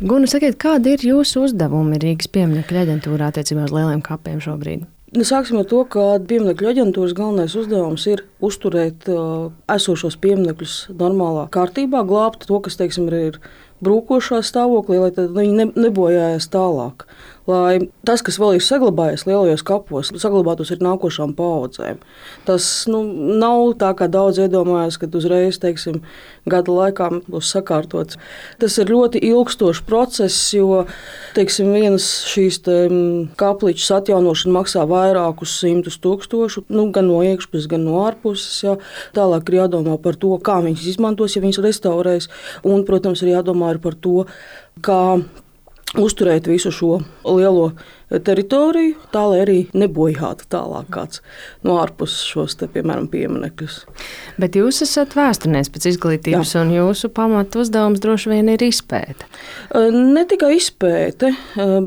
Guna, sakiet, kādi ir jūsu uzdevumi Rīgas pieminekļu aģentūrā attiecībā uz lieliem kapiem šobrīd? Sāksim ar to, ka pieminekļu aģentūras galvenais uzdevums ir uzturēt esošos pieminekļus normālā kārtībā, glābt to, kas, teiksim, ir brūkošā stāvoklī, lai viņi nebojājās tālāk. Lai tas, kas vēl ir saglabājies lielajos kapos, saglabātos ar nākošām paaudzēm. Tas nav tā, kā daudz iedomājas, kad uzreiz, teiksim, gada laikā būs sakārtots. Tas ir ļoti ilgstošs process, jo, teiksim, vienas šīs kapličas atjaunošana maksā vairākus 100 000, gan no iekšpuses, gan no ārpuses. Jā. Tālāk ir jādomā par to, kā viņas izmantos, ja viņas restaurēs, un, protams, ir jādomā par to, kā uzturēt visu šo lielo teritoriju, tā lai arī nebojātu tālāk kāds no ārpuses šos, piemēram, pieminekļus. Bet jūs esat vēsturnieks pēc izglītības, un jūsu pamatu uzdevums droši vien ir izpēte. Ne tikai izpēte,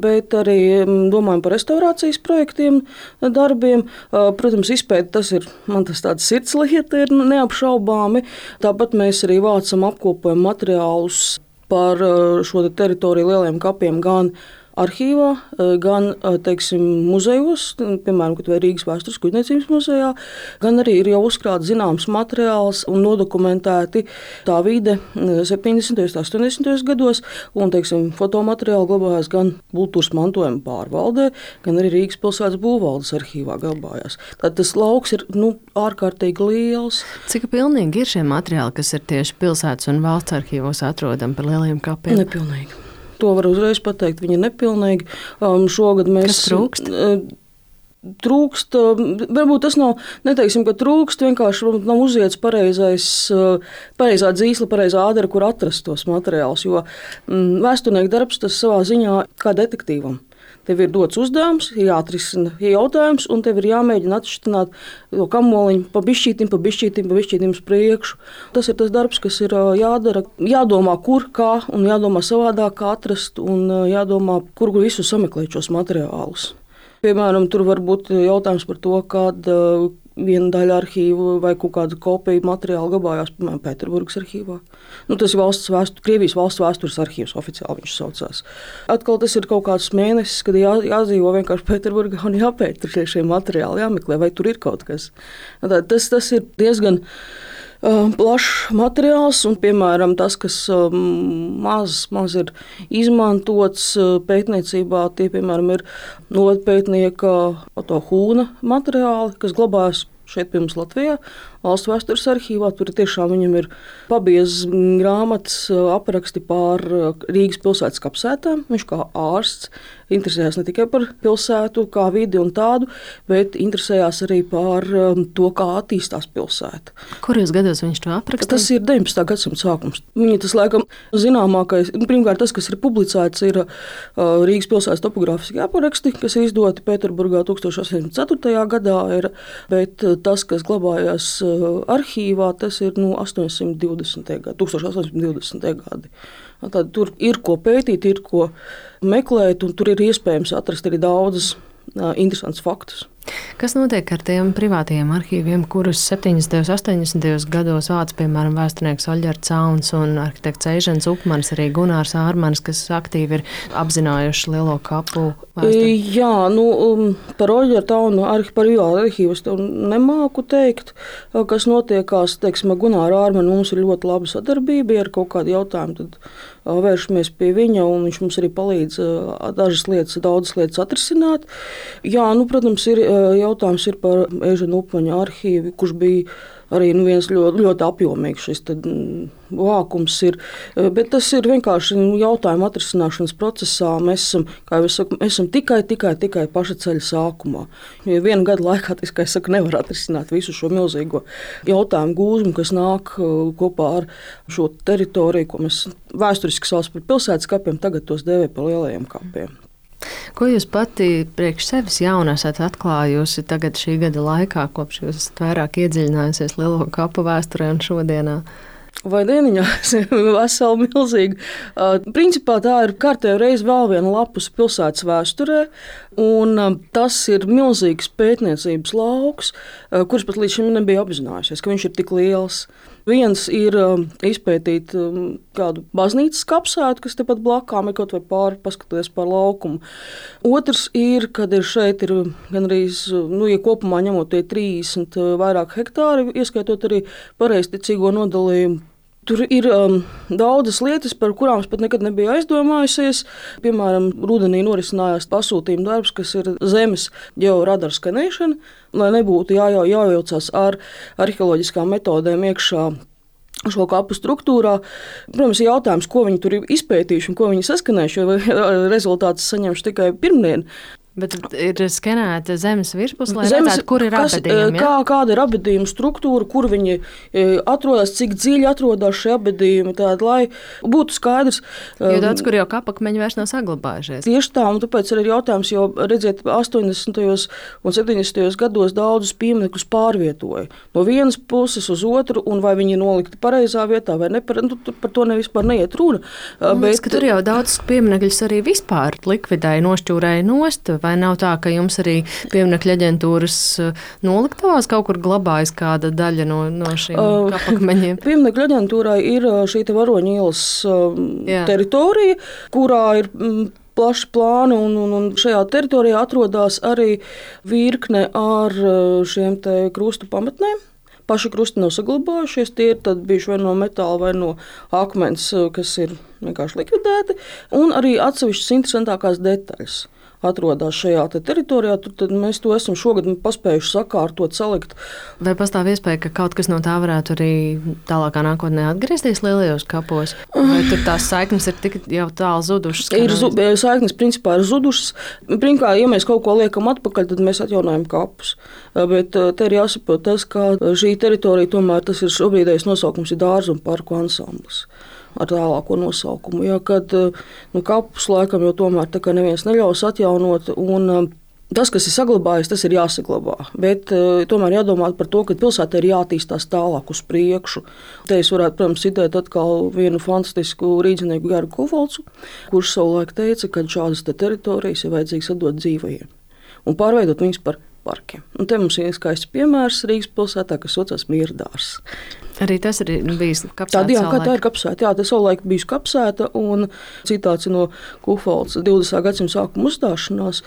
bet arī domājam par restaurācijas projektiem, darbiem. Protams, izpēte tas ir tāds sirdslieta, ir neapšaubāmi. Tāpat mēs arī vācam, apkopojam materiālus par šo teritoriju lieliem kapiem gan arhīvā, gan, teiksim, muzejos, piemēram, Rīgas Vēstures kuģniecības muzejā, gan arī ir jau uzkrāts zināms materiāls un nodokumentēti tā vide 70. un 80. gados, un, teiksim, fotomateriāli glabājās gan kultūras mantojuma pārvaldē, gan arī Rīgas pilsētas būvvaldes arhīvā glabājās. Tad tas lauks ir ārkārtīgi liels. Cik pilnīgi ir šie materiāli, kas ir tieši pilsētas un valsts arhīvos atrodami par lielajiem kapiem? Nepilnīgi. To var uzreiz pateikt, viņi ir nepilnīgi. Šogad mēs... Kas trūkst? Trūkst, varbūt tas nav, neteiksim, ka trūkst, vienkārši nav uziets pareizā dzīsla, pareizā ādara, kur atrast tos materiālus, jo vēsturnieka darbs tas savā ziņā kā detektīvam. Tev ir dots uzdevums, jāatrisina jautājums, un tev ir jāmēģina atšķirt to kamoliņu pa bišķītim uz priekšu. Tas ir tas darbs, kas ir jādara. Jādomā, kur, kā, un jādomā savādāk, kā atrast, un jādomā, kur visu sameklēt šos materiālus. Piemēram, tur var būt jautājums par to, kāda viena daļa arhīva vai kaut kāda kopija materiāla glabājās, piemēram, Pēterburgas arhīvā. Tas ir Krievijas valsts vēstures arhīvs, oficiāli viņš saucās. Atkal tas ir kaut kāds mēnesis, kad jādzīvo vienkārši Pēterburgā un jāpēt šie materiāli, jāmeklē, vai tur ir kaut kas. Tas ir diezgan plašs materiāls, un, piemēram, tas, kas maz ir izmantots pētniecībā, tie, piemēram, ir novadpētnieka Oto Hūna materiāli, kas glabājas šeit pie mums Latvijā, valsts vēstures arhīvā. Tur tiešām viņam ir pabiezas grāmatas apraksti par Rīgas pilsētas kapsētām. Viņš kā ārsts interesējās ne tikai par pilsētu, kā vidi un tādu, bet interesējās arī par to, kā attīstās pilsēta. Kuros gados viņš to aprakstīja? Tas ir 19. gadsimta sākums. Viņa tas, laikam, zināmākais, pirmkārt, tas, kas ir publicēts, ir Rīgas pilsētas topogrāfiskie apraksti, kas ir izdoti Pēterburgā 1804. gadā, bet tas, kas glabājās arhīvā, tas ir 1820. gadi. Tad tur ir ko pētīt, ir ko meklēt, un tur ir iespējams atrast arī daudzas interesantus faktus. Kas notiek ar tiem privātajiem arhīviem, kurus 70. un 80. gados vāc, piemēram, vēsturnieks Oļģerts Cauns un arhitekts Eižens Upmanis, arī Gunārs Ārmanis, kas aktīvi ir apzinājuši lielo kapu vēsturi? Jā, par Oļģertu Caunu par arhīvus nemāku teikt, kas notiekās, teiksim, ar Gunāru Ārmanu mums ir ļoti laba sadarbība, ja ir kaut kādi jautājumi, tad vēršamies pie viņa, un viņš mums arī palīdz daudzas lietas atrisināt. Jā, protams, jautājums ir par Eižena Upmaņa arhīvu, kurš bija arī viens ļoti apjomīgs šis vākums ir. Bet tas ir vienkārši jautājumu atrisināšanas procesā. Mēs esam tikai paša ceļa sākumā. Jo viena gada laikā, nevar atrisināt visu šo milzīgo jautājumu gūzmu, kas nāk kopā ar šo teritoriju, ko mēs vēsturiski saucam par pilsētas kapiem, tagad tos dēvē par lielajiem kapiem. Ko jūs pati priekš sevis jaunu esat atklājusi tagad šī gada laikā, kopš jūs esat vairāk iedziļinājusies lielo kapu vēsturē un šodienā? Vai dieniņā, vesela milzīga. Principā tā ir kārtējo reizi vēl viena lapus pilsētas vēsturē, un tas ir milzīgs pētniecības lauks, kurš pat līdz šim nebija apzinājušies, ka viņš ir tik liels. Viens ir izpētīt kādu baznīcas kapsētu, kas tepat blakām ir kaut vai pāri, paskatoties pār laukumu. Otrs ir, kad šeit ir gandrīz, ja kopumā ņemot tie 30 vairāk hektāri, ieskaitot arī pareizticīgo nodalījumu. Tur ir daudzas lietas, par kurām es pat nekad nebiju aizdomājusies. Piemēram, rudenī norisinājās pasūtījuma darbs, kas ir zemes ģeoradaru skanēšana, lai nebūtu jājaucās ar arheoloģiskām metodēm iekšā šo kapu struktūrā. Protams, ir jautājums, ko viņi tur ir izpētījuši un ko viņi saskanējuši, jo rezultātus saņemšu tikai pirmdien. Bet ir skenēta zemes virspus, lai redzētu, kur ir apbedījumi. Kāda ir apbedījuma struktūra, kur viņi atrodas, cik dziļi atrodas šie apbedījumi, lai būtu skaidrs. Jo daudz, kur jau kapakmeņi vairs nav saglabājušies. Tieši tā, un tāpēc ir jautājums, jo, redziet, 80. un 70. gados daudzus pieminekļus pārvietoja no vienas puses uz otru, un vai viņi ir nolikti pareizā vietā vai ne, par to vispār neiet runa. Bet tur jau daudz pieminekļus arī vispār likvidēja, nošķūrēja nost. Vai nav tā, ka jums arī pieminekļu aģentūras noliktavās kaut kur glabājas kāda daļa no šiem kapakmeņiem? Pieminekļu aģentūrai ir šī Varoņu ielas teritorija, kurā ir plaši plāni, un šajā teritorijā atrodas arī virkne ar šiem krustu pamatnēm. Paši krusti nav saglabājušies, tie ir bijuši vai no metāla, vai no akmens, kas ir vienkārši likvidēti, un arī atsevišķas interesantākās detaļas atrodas šajā teritorijā. Tad mēs to esam šogad paspējuši sakārtot, salikt. Vai pastāv iespēja, ka kaut kas no tā varētu arī tālākā nākotnē atgriezties lielajos kapos? Vai tur tās saiknes ir tik jau tālu zudušas? Saiknes principā ir zudušas. Pirmkārt, ja mēs kaut ko liekam atpakaļ, tad mēs atjaunojam kapus. Bet te ir jāsaprot tas, ka šī teritorija tomēr tas ir šobrīdējais nosaukums ir Dārzu un parku ansamblis ar tālāko nosaukumu. Ja, kad kapus laikam jau tomēr tā kā neviens neļaus atjaunot, un tas, kas ir saglabājies, tas ir jāsaglabā. Bet tomēr jādomā par to, ka pilsētā ir jātīstās tālāk uz priekšu. Te es varētu, protams, citēt atkal vienu fantastisku rīdzinieku Geru Kufolcu, kurš savulaik teica, ka šādas teritorijas ir vajadzīgas atdot dzīvajiem un pārveidot viņus par parkiem. Un te mums ir skaists piemērs Rīgas pilsētā, kas saucas Mierdārs. Arī tas ir bijis kapsēta. Tā ir kapsēta. Jā, tas savulaik bijusi kapsēta, un citāts no Kufolca 20. gadsimta sākuma uzstāšanās.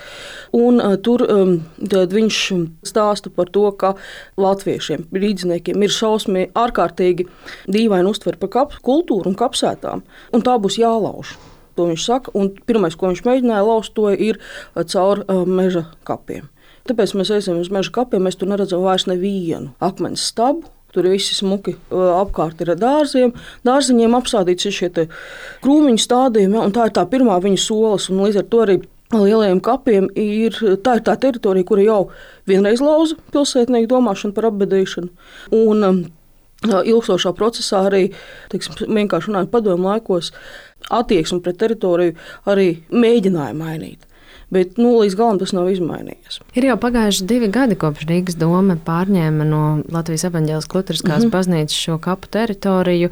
Un tur viņš stāsta par to, ka latviešiem, rīdziniekiem ir šausmīgi ārkārtīgi dīvaini uztver par kultūru un kapsētām, un tā būs jālauž. To viņš saka, un pirmais, ko viņš mēģināja lauzt, to ir caur meža kapiem. Tāpēc mēs ejam uz meža kapiem, mēs tur neredzam vairs nevienu akmens stabu. Tur visi smuki apkārt ir ar dārziem. Dārziņiem apstādīts ir šie krūmiņu stādījumi, ja, un tā ir tā pirmā viņa solis. Līdz ar to arī lielajiem kapiem ir tā teritorija, kura jau vienreiz lauza pilsētnieku domāšanu par apbedīšanu. Un ilgstošā procesā arī, vienkārši runājot padomu laikos, attieksmi pret teritoriju arī mēģināja mainīt. Bet līdz galam tas nav izmainījies. Ir jau pagājuši 2 gadi, kopš Rīgas doma pārņēma no Latvijas evaņģēliskās luteriskās baznīcas šo kapu teritoriju.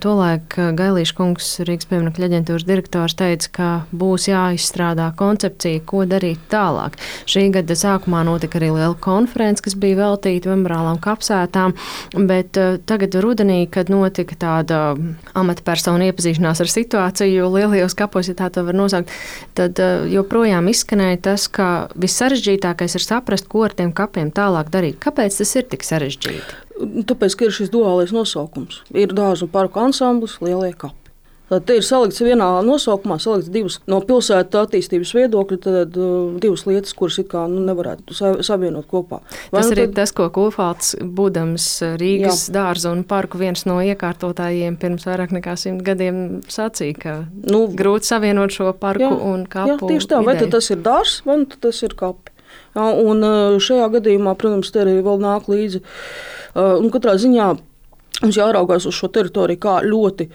Tolaik Gailīša kungs, Rīgas pieminekļu aģentūras direktors, teica, ka būs jāizstrādā koncepcija, ko darīt tālāk. Šī gada sākumā notika arī liela konference, kas bija veltīta memoriālām kapsētām, bet tagad rudenī, kad notika tāda amatpersonu iepazīšanās ar situāciju lielajos kapos, ja tā to var nosaukt, tad joprojām izskanēja tas, ka vissarežģītākais ir saprast, ko ar tiem kapiem tālāk darīt. Kāpēc tas ir tik sarežģīti? Tāpēc, ka ir šis duālais nosaukums. Ir Dārzu un parku ansamblis, lielie kapi. Tad te ir salikts vienā nosaukumā, salikts divas no pilsētas attīstības viedokļa, tad divas lietas, kuras it kā nevarētu savienot kopā. Tas ir tas, ko Kufolcs, būdams Rīgas Dārzu un parku viens no iekārtotājiem pirms vairāk nekā 100 gadiem sacīja, ka grūti savienot šo parku un kapu. Jā, tieši tā, vai tad tas ir dārs, vai tas ir kapi. Jā, un šajā gadījumā, protams, te arī vēl nāk līdzi. Un katrā ziņā mums jāraugās uz šo teritoriju kā ļoti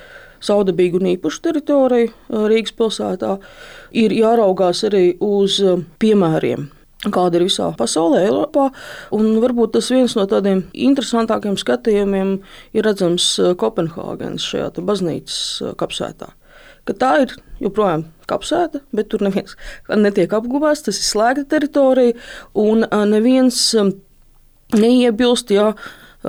saudabīgu un īpašu teritoriju Rīgas pilsētā. Ir jāraugās arī uz piemēriem, kāda ir visā pasaulē, Eiropā. Un varbūt tas viens no tādiem interesantākiem skatījumiem ir redzams Kopenhāgenes šajā baznīcas kapsētā. Ka tā ir joprojām kapsēta, bet tur neviens netiek apguvāts, tas ir slēgta teritorija, un neviens neiebilst, ja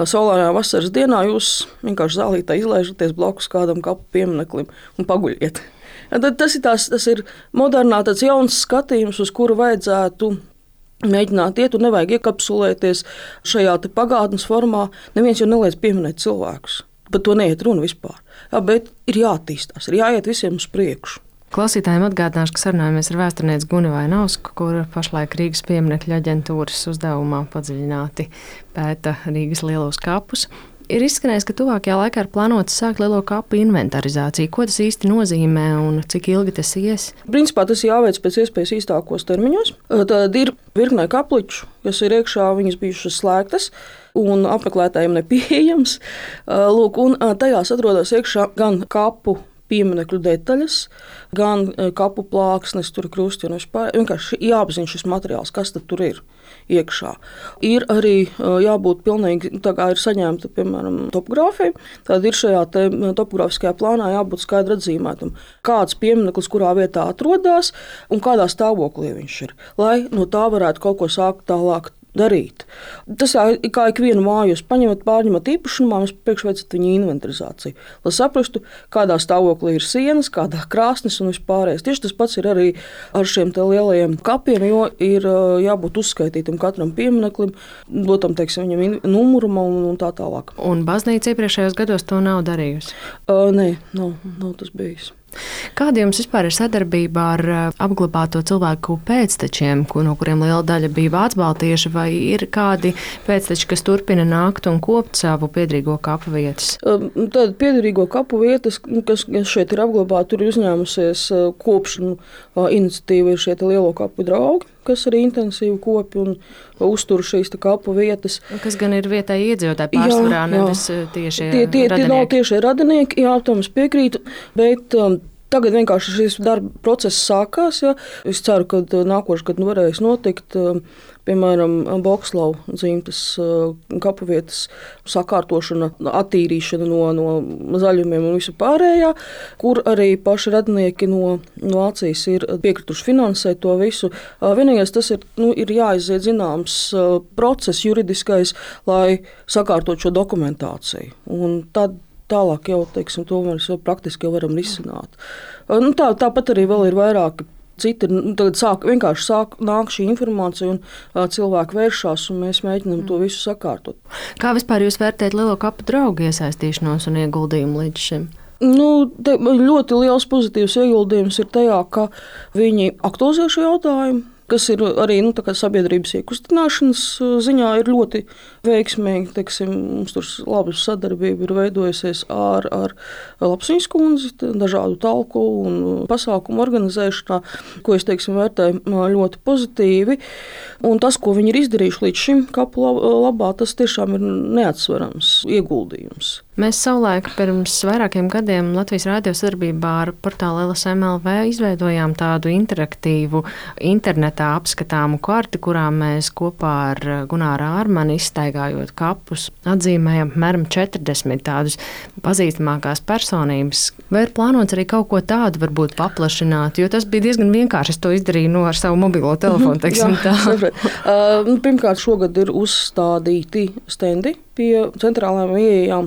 saulainā vasaras dienā jūs vienkārši zālītā izlaižaties blakus kādam kapu piemineklim un paguļiet. Tad tas ir modernā tāds jauns skatījums, uz kuru vajadzētu mēģināt iet, un nevajag iekapsulēties šajā pagātnes formā. Neviens jau neliedz pieminēt cilvēkus. Par to neiet runa vispār. Jā, bet ir jāattīstās, ir jāiet visiem uz priekšu. Klausītājiem atgādināšu, ka sarunājamies ar vēsturnieci Guni Vainausku, kur pašlaik Rīgas pieminekļu aģentūras uzdevumā padziļināti pēta Rīgas lielos kapus. Ir izskanējis, ka tuvākajā laikā ir plānots sākt lielo kapu inventarizāciju. Ko tas īsti nozīmē un cik ilgi tas ies? Principā tas jāveic pēc iespējas īstākos termiņos. Tad ir virknē kapliču, kas ir iekšā, viņas bijušas slēgtas un apmeklētājiem nepieejams. Lūk, un tajās atrodas iekšā gan kapu pieminekļu detaļas, gan kapu plāksnes, tur krusti un vispār. Vienkārši jāapzina šis materiāls, kas tur ir iekšā. Ir arī jābūt pilnīgi, tā kā ir saņemta, piemēram, topogrāfija, tad ir šajā topogrāfiskajā plānā jābūt skaidri atzīmētam, kāds piemineklis kurā vietā atrodas un kādā stāvoklī viņš ir, lai no tā varētu kaut ko sākt tālāk darīt. Tas kā ikvienu māju jūs paņemat, pārņemat īpašumā, jūs priekšveicat viņa inventarizāciju, lai saprastu, kādā stāvoklī ir sienas, kādā krāsnes un vispārējais. Tieši tas pats ir arī ar šiem lielajiem kapiem, jo ir jābūt uzskaitītam katram piemineklim, dotam, teiksim, viņam numuram un tā tālāk. Un baznīca iepriekšējos gados to nav darījusi? Nē, nav tas bijis. Kāda jums vispār ir sadarbība ar apglabāto cilvēku pēctečiem, no kuriem liela daļa bija vācbaltieši, vai ir kādi pēcteči, kas turpina nākt un kopt savu piederīgo kapu vietas? Tad piederīgo kapu vietas, kas šeit ir apglabāti, tur ir uzņēmusies kopšanu iniciatīva, ir šie lielo kapu draugi, kas arī intensīvi kopi un uztur šīs kapu vietas. Kas gan ir vietēji iedzīvotāji pārsvarā, nevis tieši radinieki? Tie nav tieši radinieki, jā, tam es piekrītu, bet tagad vienkārši šis darba process sākās. Ja. Es ceru, ka nākošais gads varēs notikt. Piemēram, Bokslavu dzimtas kapu vietas sakārtošana, attīrīšana no zaļumiem un visu pārējā, kur arī paši radinieki no Vācijas ir piekrituši finansēt to visu. Vienīgais tas ir jāiziet zināms process juridiskais, lai sakārtot šo dokumentāciju. Un tad tālāk jau, teiksim, to mēs praktiski jau varam risināt. Tāpat arī vēl ir vairāki citi. Tagad vienkārši nāk šī informācija un cilvēki vēršās, un mēs mēģinām to visu sakārtot. Kā vispār jūs vērtējat lielo kapu draugu iesaistīšanos un ieguldījumu līdz šim? Ļoti liels pozitīvs ieguldījums ir tajā, ka viņi aktualizē šo jautājumu, kas ir arī sabiedrības iekustināšanas ziņā ir ļoti veiksmīgi. Teiksim, mums tur laba sadarbība ir veidojusies ar Lapsiņas kundzi, dažādu talku un pasākumu organizēšanā, ko es vērtēju ļoti pozitīvi. Un tas, ko viņi ir izdarījuši līdz šim kapu labā, tas tiešām ir neatsverams ieguldījums. Mēs savulaik pirms vairākiem gadiem Latvijas Rādio sadarbībā ar portālu LSM.LV izveidojām tādu interaktīvu internetā apskatāmu karti, kurā mēs kopā ar Gunāru Ārmani izstaigājot kapus atzīmējam apmēram 40 tādus pazīstamākās personības. Vai ir plānots arī kaut ko tādu varbūt paplašināt, jo tas bija diezgan vienkārši. Es to izdarīju ar savu mobilo telefonu, teiksim tā. Pirmkārt, šogad ir uzstādīti stendi pie centrālajām ieejām,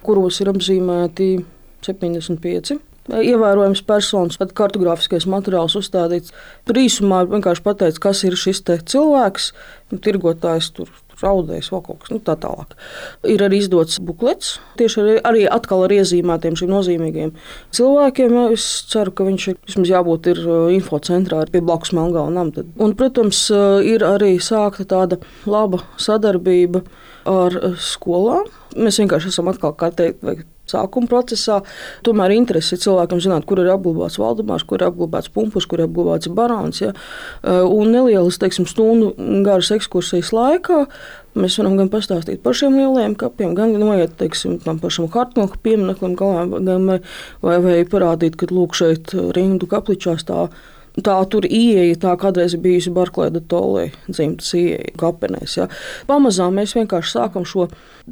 kuros ir apzīmēti 75 ievērojams personas, tad kartogrāfiskais materiāls uzstādīts. Tur īsumā vienkārši pateicis, kas ir šis cilvēks, tirgotājs, raudējs, vēl kaut kas tā tālāk. Ir arī izdots buklets, tieši arī atkal ar iezīmētiem šiem nozīmīgiem cilvēkiem. Es ceru, ka viņš vismaz jābūt ir infocentrā pie blakus Melngāla nama. Un, protams, ir arī sākta tāda laba sadarbība ar skolām. Mēs vienkārši esam atkal, kā teikt, sākuma procesā. Tomēr interesi cilvēkam zināt, kur ir apglabāts Valdemārs, kur ir apglabāts Pumpurs, kur ir apglabāts Barāns. Ja? Un nelielas, stundu garas ekskursijas laikā mēs varam gan pastāstīt par šiem lielajiem kapiem, gan noiet, tam pašam Hartnoka piemineklim, vai parādīt, ka lūk šeit Rindu kapličā stāv Tā tur ieeja, tā kādreiz ir bijusi Barklēda Tolē dzimtas ieeja kapenēs. Ja. Pamazām mēs vienkārši sākam šo,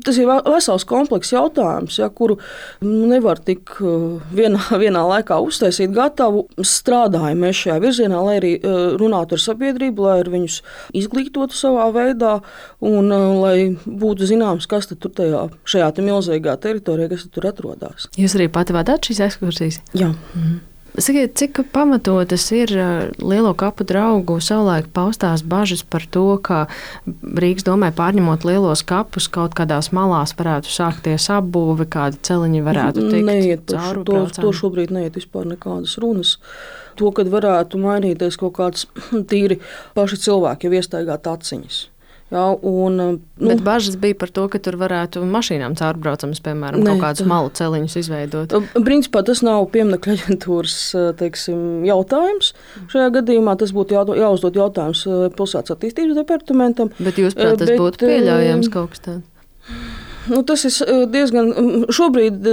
tas ir vesels komplekss jautājums, ja, kuru nevar tik vienā laikā uztaisīt gatavu. Strādājam mēs šajā virzienā, lai arī runātu ar sabiedrību, lai ar viņus izglītotu savā veidā un lai būtu zināms, kas tad tur šajā milzīgā teritorijā, kas tur atrodas. Jūs arī pati vadāt šīs ekskursijas? Jā. Sakiet, cik pamatotas ir Lielo kapu draugu savulaik paustās bažas par to, ka Rīgas domē pārņemot lielos kapus, kaut kādās malās varētu sākties apbūve, kādi celiņi varētu tikt cauri braucām? To šobrīd neiet vispār nekādas runas. To, kad varētu mainīties kaut kāds tīri paši cilvēki, jau iestaigāt aciņas. Jā, Bet bažas bija par to, ka tur varētu mašīnām caurbraucamas, piemēram, kaut kādus malu celiņus izveidot. Principā tas nav pieminiektu aģentūras jautājums. Šajā gadījumā tas būtu jāuzdod jautājums pilsētas attīstības departamentam. Bet jūs prāt, tas būtu pieļaujams kaut kas tāds? Tas ir diezgan. Šobrīd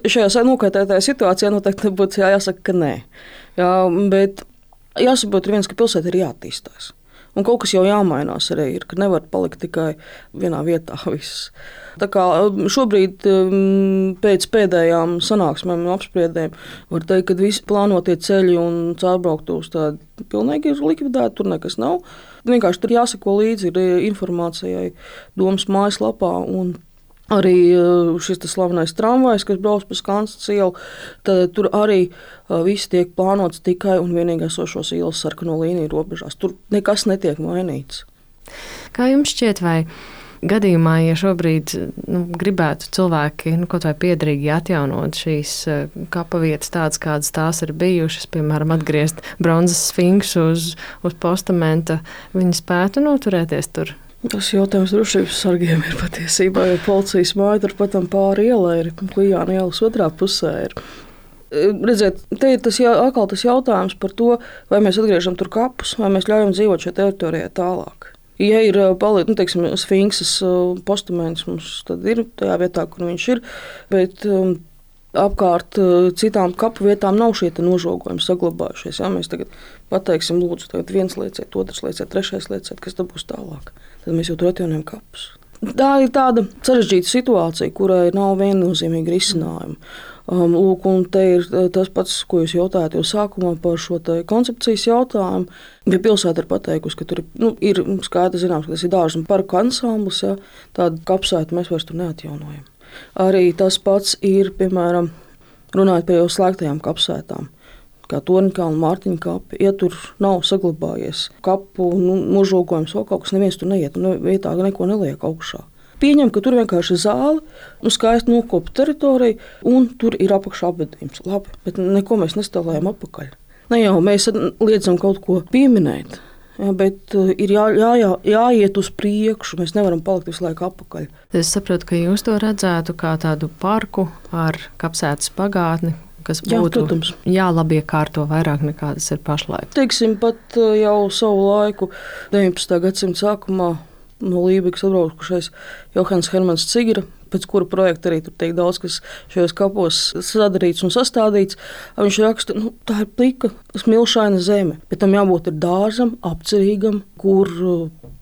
šajā nokaitētajā situācijā noteikti būtu jāsaka, ka nē. Jā, bet jāsaprot viens, ka pilsēta ir jāattīstās. Un kaut kas jau jāmainās arī ir, ka nevar palikt tikai vienā vietā viss. Tā kā šobrīd pēc pēdējām sanāksmēm un apspriedēm var teikt, ka visi plānotie ceļi un caurbrauktuvs tādi pilnīgi ir likvidēti, tur nekas nav. Vienkārši tur jāsako līdzi informācijai domas mājaslapā un arī šis slavenais tramvajs, kas brauc pa Skansas ielu, tad tur arī viss tiek plānots tikai un vienīgi esošos ielas sarkano līniju robežās. Tur nekas netiek mainīts. Kā jums šķiet, vai gadījumā, ja šobrīd gribētu cilvēki kaut vai piederīgi atjaunot šīs kapa vietas tādas, kādas tās ir bijušas, piemēram, atgriezt bronzas sfinksu uz postamenta, viņi spētu noturēties tur? Tas jautājums drošības sargiem ir patiesībā, jo policijas māja turpat pāri ielai ir, Klijāna ielas otrā pusē ir. Redziet, te ir tas jautājums par to, vai mēs atgriežam tur kapus, vai mēs ļaujam dzīvot šajā teritorijā tālāk. Ja ir sfinksas postaments, mums tad ir tajā vietā, kur viņš ir, bet apkārt citām kapu vietām nav šie nožogojumi saglabājušies. Ja? Mēs tagad pateiksim, lūdzu, tagad viens lieciet, otrs lieciet, trešais lieciet, kas tad būs tālāk. Tad mēs jau tur atjaunojam kapus. Tā ir tāda sarežģīta situācija, kurai nav viennozīmīga risinājuma. Lūk, un te ir tas pats, ko jūs jautājāt jau sākumā par šo koncepcijas jautājumu. Ja pilsēta ir pateikusi, ka tur ir skaidrs zināms, ka tas ir dārza un parku ansamblis, ja, tādu kapsētu mēs vairs tur neatjaunojam. Arī tas pats ir, piemēram, runājot par jau slēgtajām kapsētām, kā Torņkalna, Mārtiņa kapi. Ja tur nav saglabājies kapu nožogojums vai kaut kas, neviens tur neiet un vietā neko neliek augšā. Pieņem, ka tur vienkārši ir zāle, skaisti nokopta teritorija un tur ir apakšā apbedījums. Labi, bet neko mēs nestāvējam apakaļ. Ne jau mēs liedzam kaut ko pieminēt. Ja, bet ir jāiet uz priekšu. Mēs nevaram palikt visu laiku atpakaļ. Es saprotu, ka jūs to redzētu kā tādu parku ar kapsētas pagātni, kas būtu jālabiekārto vairāk nekā tas ir pašlaik. Teiksim, pat jau savu laiku 19. gadsimta sākumā no Lībegas atbraukušais Johans Hermans Cigira, pēc kura projekta arī tur tiek daudz, kas šajos kapos sadarīts un sastādīts. Viņš raksta, tā ir plika, smilšaina zeme, bet tam jābūt ir dārzam, apcerīgam, kur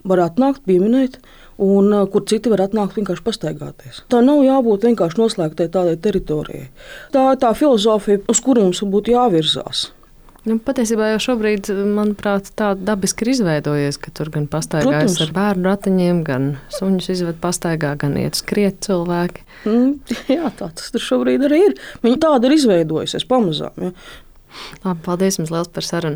var atnākt, pieminēt, un kur citi var atnākt vienkārši pastaigāties. Tā nav jābūt vienkārši noslēgtai tādai teritorijai. Tā ir tā filozofija, uz kuru mums būtu jāvirzās. Patiesībā jau šobrīd, manuprāt, tā dabiski ir izveidojies, ka tur gan pastaigājas ar bērnu ratiņiem, gan suņus izved pastaigā, gan iet skriet cilvēki. Jā, tā tas tur šobrīd arī ir. Viņa tāda ir izveidojusies pamazām. Ja. Labi, paldies jums liels par sarunu.